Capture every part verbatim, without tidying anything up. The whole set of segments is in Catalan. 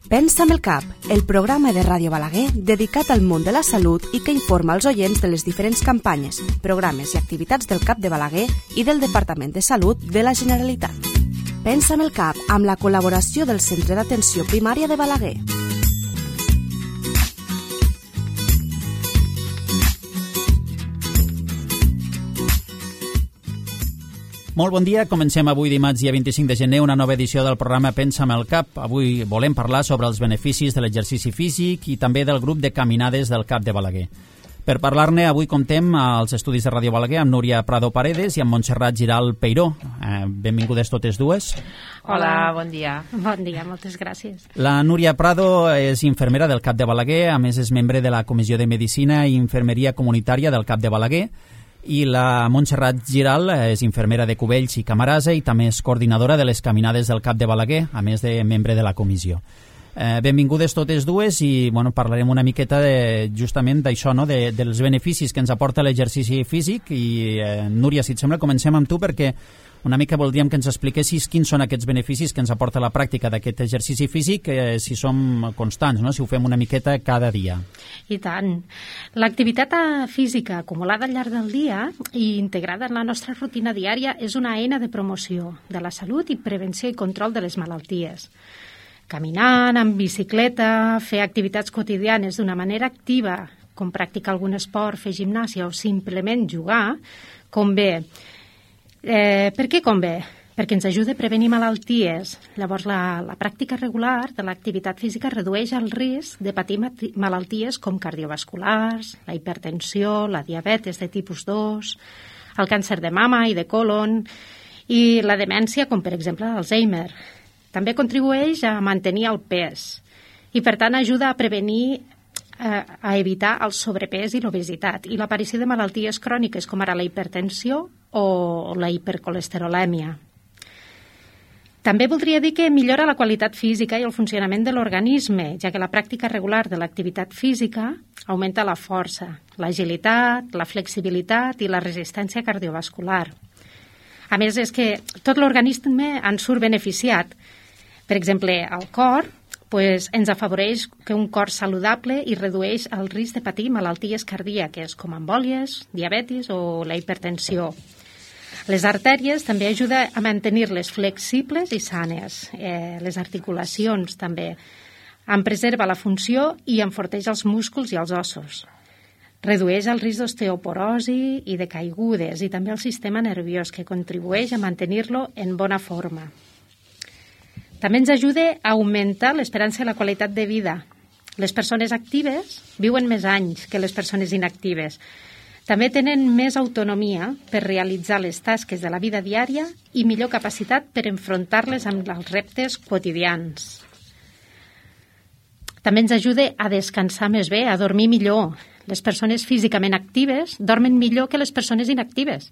Pensa amb el cap, el programa de Ràdio Balaguer dedicat al món de la salut i que informa els oients de les diferents campanyes, programes i activitats del CAP de Balaguer i del Departament de Salut de la Generalitat. Pensa amb el cap, amb la col·laboració del Centre d'Atenció Primària de Balaguer. Molt bon dia, comencem avui dimarts dia vint-i-cinc de gener una nova edició del programa Pensa amb el cap. Avui volem parlar sobre els beneficis de l'exercici físic i també del grup de caminades del CAP de Balaguer. Per parlar-ne, avui comptem als estudis de Ràdio Balaguer amb Núria Prado Paredes i amb Montserrat Giral Peiró. Eh, benvingudes totes dues. Hola, bon dia. Bon dia, moltes gràcies. La Núria Prado és infermera del CAP de Balaguer, a més és membre de la Comissió de Medicina i Infermeria Comunitària del CAP de Balaguer, i la Montserrat Giral és infermera de Cubells i Camarasa i també és coordinadora de les caminades del CAP de Balaguer, a més de membre de la comissió. Eh, benvingudes totes dues i bueno, parlarem una miqueta de, justament d'això, no? de, dels beneficis que ens aporta l'exercici físic i eh, Núria, si et sembla, comencem amb tu perquè una mica voldríem que ens expliquessis quins són aquests beneficis que ens aporta la pràctica d'aquest exercici físic, eh, si som constants, no? Si ho fem una miqueta cada dia. I tant. L'activitat física acumulada al llarg del dia i integrada en la nostra rutina diària és una eina de promoció de la salut i prevenció i control de les malalties. Caminant, en bicicleta, fer activitats quotidianes d'una manera activa, com practicar algun esport, fer gimnàsia o simplement jugar, convé. Eh, per què convé? Perquè ens ajuda a prevenir malalties. Llavors, la, la pràctica regular de l'activitat física redueix el risc de patir malalties com cardiovasculars, la hipertensió, la diabetes de tipus dos, el càncer de mama i de colon i la demència, com per exemple l'Alzheimer. També contribueix a mantenir el pes i, per tant, ajuda a prevenir a evitar el sobrepès i l'obesitat i l'aparició de malalties cròniques com ara la hipertensió o la hipercolesterolèmia. També voldria dir que millora la qualitat física i el funcionament de l'organisme, ja que la pràctica regular de l'activitat física augmenta la força, l'agilitat, la flexibilitat i la resistència cardiovascular. A més, és que tot l'organisme en surt beneficiat. Per exemple, el cor pues, ens afavoreix que un cor saludable i redueix el risc de patir malalties cardíaques com embòlies, diabetis o la hipertensió. Les artèries també ajuden a mantenir-les flexibles i sanes. Eh, les articulacions també. En preserva la funció i enforteix els músculs i els ossos. Redueix el risc d'osteoporosi i de caigudes i també el sistema nerviós que contribueix a mantenir-lo en bona forma. També ens ajuda a augmentar l'esperança i la qualitat de vida. Les persones actives viuen més anys que les persones inactives. També tenen més autonomia per realitzar les tasques de la vida diària i millor capacitat per enfrontar-les amb els reptes quotidians. També ens ajuda a descansar més bé, a dormir millor. Les persones físicament actives dormen millor que les persones inactives.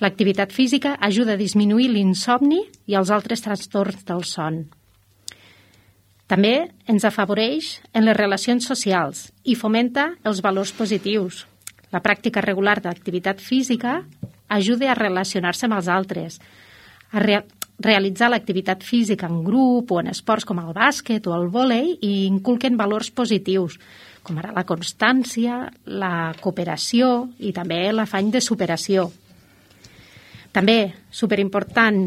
L'activitat física ajuda a disminuir l'insomni i els altres trastorns del son. També ens afavoreix en les relacions socials i fomenta els valors positius. La pràctica regular d'activitat física ajuda a relacionar-se amb els altres, a re- realitzar l'activitat física en grup o en esports com el bàsquet o el vòlei i inculquen valors positius, com ara la constància, la cooperació i també l'afany de superació. També, superimportant,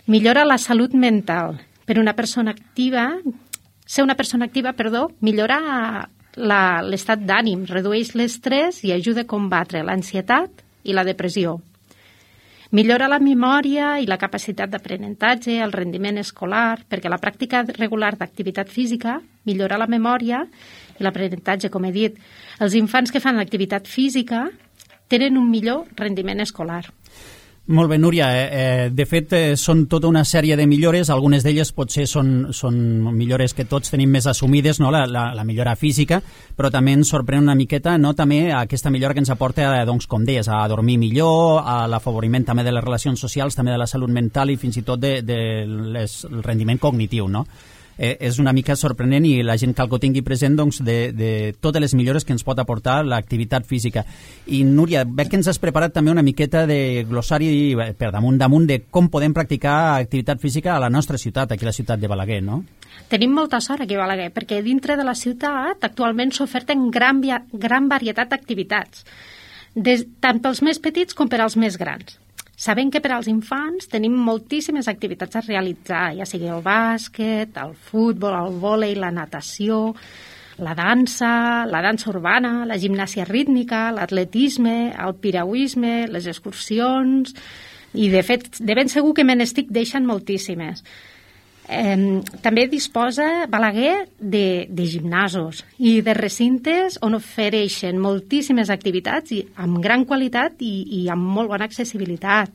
millora la salut mental. Per una persona activa, ser una persona activa, perdó, millora la, l'estat d'ànim, redueix l'estrès i ajuda a combatre l'ansietat i la depressió. Millora la memòria i la capacitat d'aprenentatge, el rendiment escolar, perquè la pràctica regular d'activitat física millora la memòria i l'aprenentatge, com he dit. Els infants que fan activitat física tenen un millor rendiment escolar. Molt bé, Núria. Eh, de fet, eh, són tota una sèrie de millores. Algunes d'elles potser són, són millores que tots tenim més assumides, no? la, la, la millora física, però també ens sorprèn una miqueta no? també aquesta millora que ens aporta, doncs, com deies, a dormir millor, a l'afavoriment també de les relacions socials, també de la salut mental i fins i tot de, de les, el rendiment cognitiu, no? eh, és una mica sorprenent i la gent cal que ho tingui present doncs, de, de totes les millores que ens pot aportar l'activitat física. I Núria, veig que ens has preparat també una miqueta de glossari per damunt damunt de com podem practicar activitat física a la nostra ciutat, aquí a la ciutat de Balaguer, no? Tenim molta sort aquí a Balaguer, perquè dintre de la ciutat actualment s'oferten gran, gran varietat d'activitats, tant pels més petits com per als més grans. Sabem que per als infants tenim moltíssimes activitats a realitzar, ja sigui el bàsquet, el futbol, el vòlei, la natació, la dansa, la dansa urbana, la gimnàsia rítmica, l'atletisme, el piragüisme, les excursions, i de fet, de ben segur que me n'estic deixant moltíssimes. Eh, també disposa Balaguer de, de gimnasos i de recintes on ofereixen moltíssimes activitats i amb gran qualitat i, i amb molt bona accessibilitat.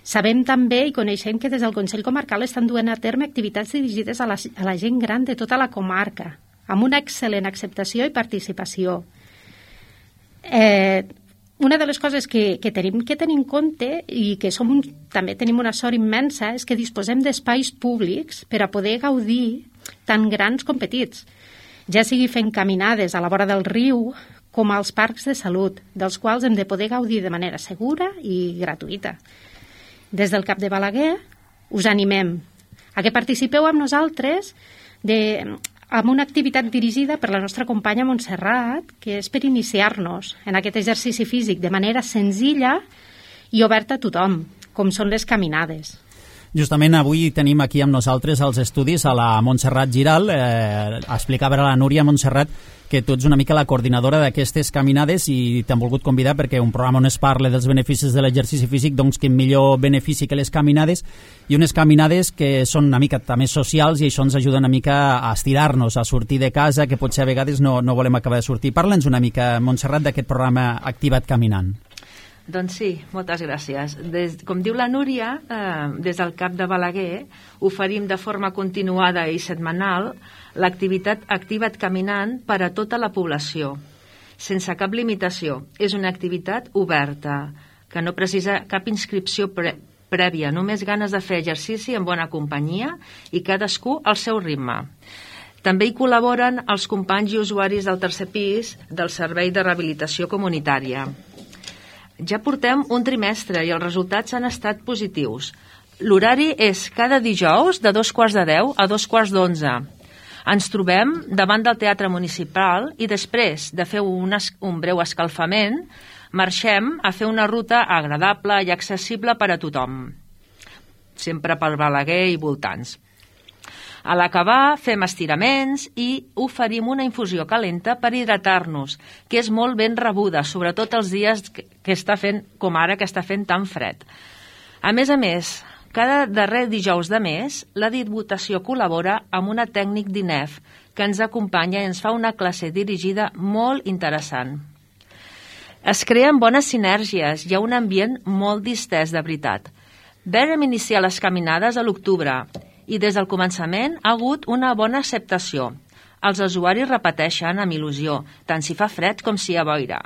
Sabem també i coneixem que des del Consell Comarcal estan duent a terme activitats dirigides a la, a la gent gran de tota la comarca, amb una excel·lent acceptació i participació. Eh, Una de les coses que, que tenim que tenir en compte i que som, també tenim una sort immensa és que disposem d'espais públics per a poder gaudir tant grans com petits, ja sigui fent caminades a la vora del riu com als parcs de salut, dels quals hem de poder gaudir de manera segura i gratuïta. Des del Cap de Balaguer us animem a que participeu amb nosaltres de... amb una activitat dirigida per la nostra companya Montserrat, que és per iniciar-nos en aquest exercici físic de manera senzilla i oberta a tothom, com són les caminades. Justament avui tenim aquí amb nosaltres als estudis a la Montserrat Giral. Eh, explicava a la Núria Montserrat que tu ets una mica la coordinadora d'aquestes caminades i t'hem volgut convidar perquè un programa on es parla dels beneficis de l'exercici físic, doncs que millor benefici que les caminades, i unes caminades que són una mica també socials i això ens ajuda una mica a estirar-nos, a sortir de casa, que potser a vegades no, no volem acabar de sortir. Parla'ns una mica, Montserrat, d'aquest programa Activa't Caminant. Doncs sí, moltes gràcies. Des, com diu la Núria, eh, des del Cap de Balaguer oferim de forma continuada i setmanal l'activitat Activa't Caminant per a tota la població, sense cap limitació. És una activitat oberta, que no precisa cap inscripció pre prèvia, només ganes de fer exercici en bona companyia i cadascú al seu ritme. També hi col·laboren els companys i usuaris del tercer pis del Servei de Rehabilitació Comunitària. Ja portem un trimestre i els resultats han estat positius. L'horari és cada dijous de dos quarts de deu a dos quarts d'onze. Ens trobem davant del Teatre Municipal i després de fer un, un breu escalfament marxem a fer una ruta agradable i accessible per a tothom, sempre per Balaguer i voltants. A l'acabar fem estiraments i oferim una infusió calenta per hidratar-nos, que és molt ben rebuda, sobretot els dies que està fent, com ara, que està fent tan fred. A més a més, cada darrer dijous de mes, la Diputació col·labora amb una tècnic d'I N E F que ens acompanya i ens fa una classe dirigida molt interessant. Es creen bones sinergies, hi ha un ambient molt distès de veritat. Vam iniciar les caminades a l'octubre i des del començament ha hagut una bona acceptació. Els usuaris repeteixen amb il·lusió, tant si fa fred com si hi ha boira.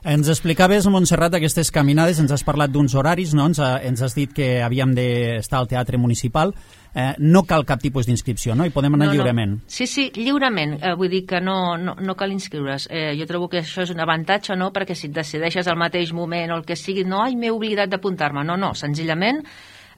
Ens explicaves, Montserrat, aquestes caminades, ens has parlat d'uns horaris, no? ens, ha, ens has dit que havíem d'estar al Teatre Municipal. Eh, no cal cap tipus d'inscripció, no? I podem anar no, lliurement. No. Sí, sí, lliurement. Eh, vull dir que no, no, no cal inscriure's. Eh, jo trobo que això és un avantatge, no?, perquè si et decideixes al mateix moment o el que sigui, no, ai, m'he oblidat d'apuntar-me. No, no, senzillament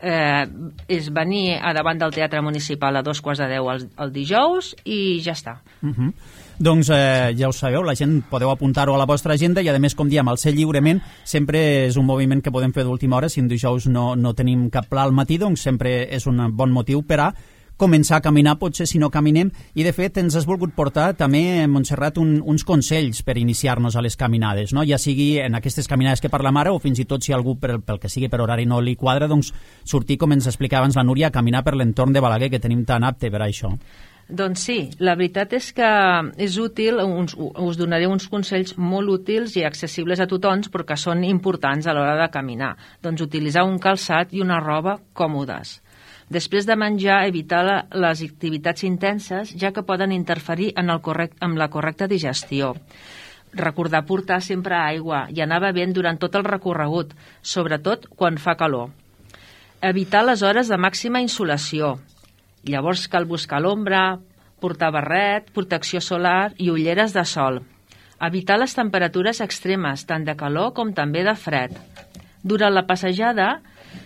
eh, és venir a davant del Teatre Municipal a dos quarts de deu el, el dijous i ja està. Uh -huh. Doncs eh, ja ho sabeu, la gent podeu apuntar-ho a la vostra agenda i a més, com diem, el ser lliurement sempre és un moviment que podem fer d'última hora. Si en dijous no, no tenim cap pla al matí, doncs sempre és un bon motiu per a començar a caminar, potser si no caminem, i de fet ens has volgut portar també, Montserrat, un, uns consells per iniciar-nos a les caminades, no? Ja sigui en aquestes caminades que parlem ara o fins i tot si algú pel, pel que sigui per horari no li quadra, doncs sortir, com ens explicava abans la Núria, a caminar per l'entorn de Balaguer, que tenim tan apte per a això. Doncs sí, la veritat és que és útil, uns, us donaré uns consells molt útils i accessibles a tothom, però que són importants a l'hora de caminar. Doncs utilitzar un calçat i una roba còmodes. Després de menjar, evitar la, les activitats intenses, ja que poden interferir en el correct, amb la correcta digestió. Recordar portar sempre aigua i anar bevent durant tot el recorregut, sobretot quan fa calor. Evitar les hores de màxima insolació. Llavors cal buscar l'ombra, portar barret, protecció solar i ulleres de sol. Evitar les temperatures extremes, tant de calor com també de fred. Durant la passejada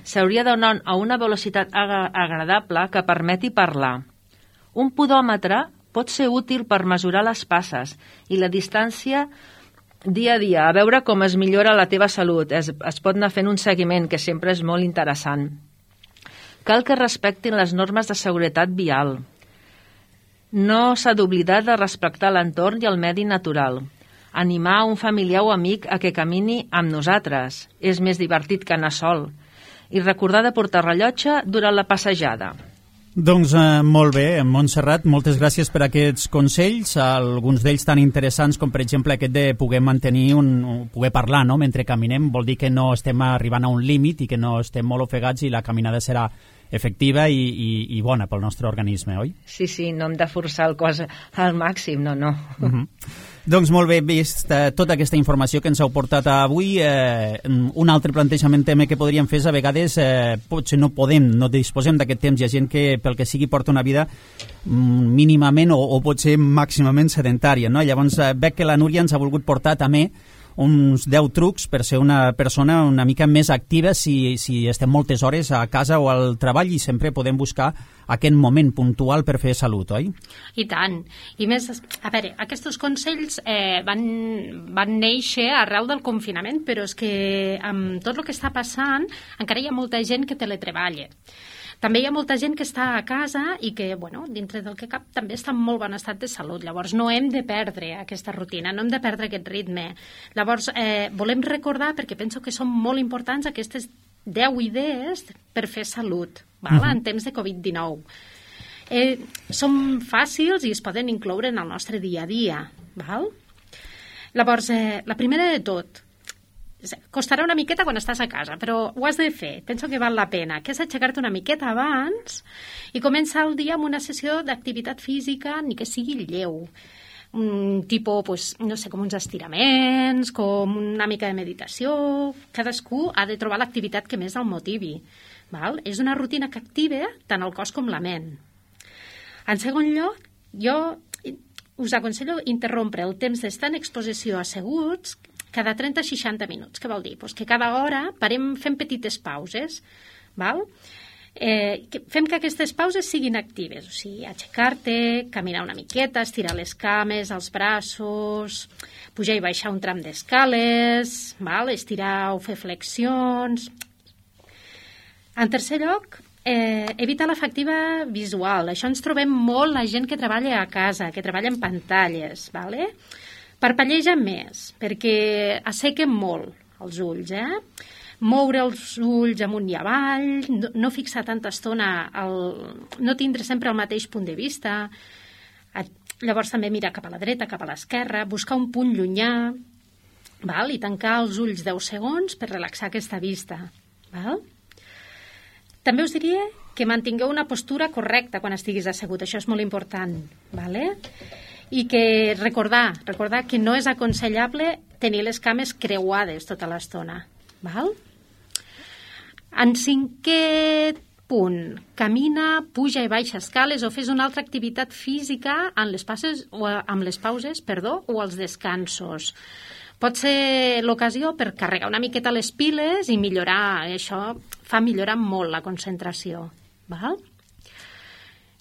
s'hauria d'anar a una velocitat ag- agradable que permeti parlar. Un podòmetre pot ser útil per mesurar les passes i la distància dia a dia, a veure com es millora la teva salut. Es, es pot anar fent un seguiment, que sempre és molt interessant. Cal que respectin les normes de seguretat vial. No s'ha d'oblidar de respectar l'entorn i el medi natural. Animar un familiar o amic a que camini amb nosaltres. És més divertit que anar sol. I recordar de portar rellotge durant la passejada. Doncs eh, molt bé, Montserrat, moltes gràcies per aquests consells, alguns d'ells tan interessants com per exemple aquest de poder mantenir un, poder parlar, no?, mentre caminem. Vol dir que no estem arribant a un límit i que no estem molt ofegats i la caminada serà efectiva i, i, i bona pel nostre organisme, oi? Sí, sí, no hem de forçar el cos al màxim, no, no. Uh-huh. Doncs molt bé, vist eh, tota aquesta informació que ens heu portat avui, eh, un altre plantejament tema que podríem fer és a vegades eh, potser no podem, no disposem d'aquest temps. Hi ha gent que pel que sigui porta una vida mm, mínimament o, o potser màximament sedentària, no? Llavors eh, veig que la Núria ens ha volgut portar també uns deu trucs per ser una persona una mica més activa si, si estem moltes hores a casa o al treball, i sempre podem buscar aquest moment puntual per fer salut, oi? I tant. I més, a veure, aquests consells eh, van, van néixer arreu del confinament, però és que amb tot el que està passant encara hi ha molta gent que teletreballa. També hi ha molta gent que està a casa i que, bueno, dintre del que cap, també està en molt bon estat de salut. Llavors, no hem de perdre aquesta rutina, no hem de perdre aquest ritme. Llavors, eh, volem recordar, perquè penso que són molt importants aquestes deu idees per fer salut, val? Uh-huh. En temps de covid dinou. Eh, són fàcils i es poden incloure en el nostre dia a dia. Val? Llavors, eh, la primera de tot, costarà una miqueta quan estàs a casa, però ho has de fer. Penso que val la pena, que és aixecar-te una miqueta abans i començar el dia amb una sessió d'activitat física, ni que sigui lleu. Un tipus, pues, no sé, com uns estiraments, com una mica de meditació. Cadascú ha de trobar l'activitat que més el motivi. Val? És una rutina que activa tant el cos com la ment. En segon lloc, jo us aconsello interrompre el temps d'estar en exposició asseguts cada trenta a seixanta minuts. Què vol dir? Pues que cada hora parem fent petites pauses, val? Eh, que fem que aquestes pauses siguin actives, o sigui, aixecar-te, caminar una miqueta, estirar les cames, els braços, pujar i baixar un tram d'escales, val? Estirar o fer flexions. En tercer lloc, eh, evitar l'efectiva visual. Això ens trobem molt la gent que treballa a casa, que treballa en pantalles, vale? Parpelleja més, perquè assequen molt els ulls, eh? Moure els ulls amunt i avall, no, no fixar tanta estona, el, no tindre sempre el mateix punt de vista. Llavors també mirar cap a la dreta, cap a l'esquerra, buscar un punt llunyà, val? I tancar els ulls deu segons per relaxar aquesta vista. Val? També us diria que mantingueu una postura correcta quan estiguis assegut, això és molt important. Vale? I que recordar, recordar que no és aconsellable tenir les cames creuades tota l'estona. Val? En cinquè punt, camina, puja i baixa escales o fes una altra activitat física en les passes, o amb les pauses, perdó, o els descansos. Pot ser l'ocasió per carregar una miqueta les piles i millorar, això fa millorar molt la concentració. Val?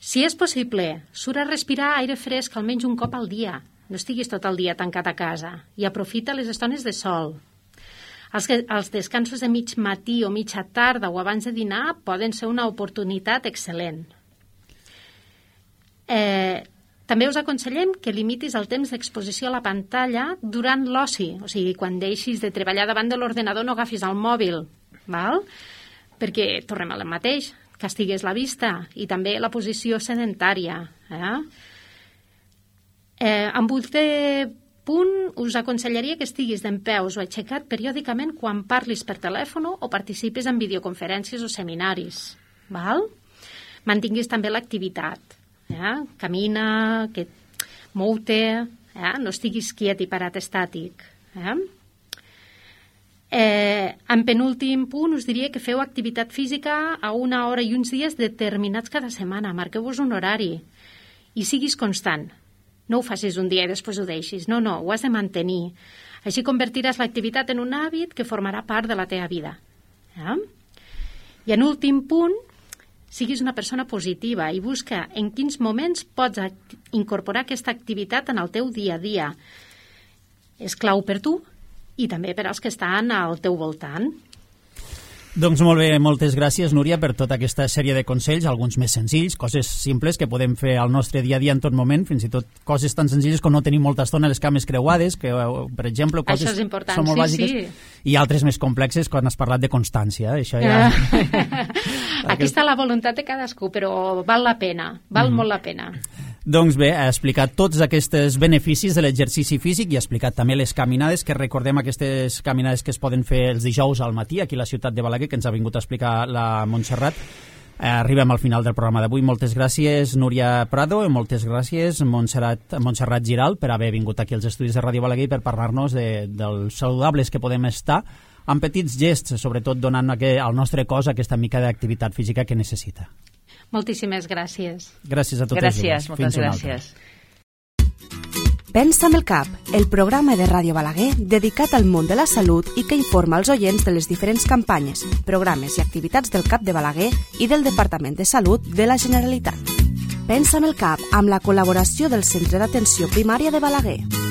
Si és possible, surt a respirar aire fresc almenys un cop al dia. No estiguis tot el dia tancat a casa i aprofita les estones de sol. Els, els descansos de mig matí o mitja tarda o abans de dinar poden ser una oportunitat excel·lent. Eh, també us aconsellem que limitis el temps d'exposició a la pantalla durant l'oci, o sigui, quan deixis de treballar davant de l'ordenador no agafis el mòbil, val? Perquè tornem al mateix, castigues la vista i també la posició sedentària. Eh? Eh, en vuitè punt us aconsellaria que estiguis dempeus o aixecat periòdicament quan parlis per telèfon o participis en videoconferències o seminaris. Val? Mantinguis també l'activitat. Eh? Camina, que mou-te, eh? No estiguis quiet i parat estàtic. Eh? Eh, en penúltim punt us diria que feu activitat física a una hora i uns dies determinats cada setmana. Marqueu-vos un horari i siguis constant. No ho facis un dia i després ho deixis. No, no, ho has de mantenir. Així convertiràs l'activitat en un hàbit que formarà part de la teva vida. Ja? I en últim punt, siguis una persona positiva i busca en quins moments pots incorporar aquesta activitat en el teu dia a dia. És clau per tu i també per als que estan al teu voltant. Doncs molt bé, moltes gràcies, Núria, per tota aquesta sèrie de consells, alguns més senzills, coses simples que podem fer al nostre dia a dia en tot moment, fins i tot coses tan senzilles com no tenir molta estona les cames creuades, que, per exemple, coses Això és important, són molt sí, bàsiques, sí. I altres més complexes quan has parlat de constància. Això ja... Aquí està la voluntat de cadascú, però val la pena, val mm. molt la pena. Doncs bé, ha explicat tots aquests beneficis de l'exercici físic i ha explicat també les caminades, que recordem aquestes caminades que es poden fer els dijous al matí aquí a la ciutat de Balaguer, que ens ha vingut a explicar la Montserrat. Eh, arribem al final del programa d'avui. Moltes gràcies, Núria Prado, i moltes gràcies, Montserrat, Montserrat Giral, per haver vingut aquí als estudis de Ràdio Balaguer per parlar-nos de, dels saludables que podem estar amb petits gests, sobretot donant al nostre cos aquesta mica d'activitat física que necessita. Moltíssimes gràcies. Gràcies a totes. Gràcies, moltes gràcies. Pensa amb el cap, el programa de Ràdio Balaguer dedicat al món de la salut i que informa els oients de les diferents campanyes, programes i activitats del CAP de Balaguer i del Departament de Salut de la Generalitat. Pensa amb el cap, amb la col·laboració del Centre d'Atenció Primària de Balaguer.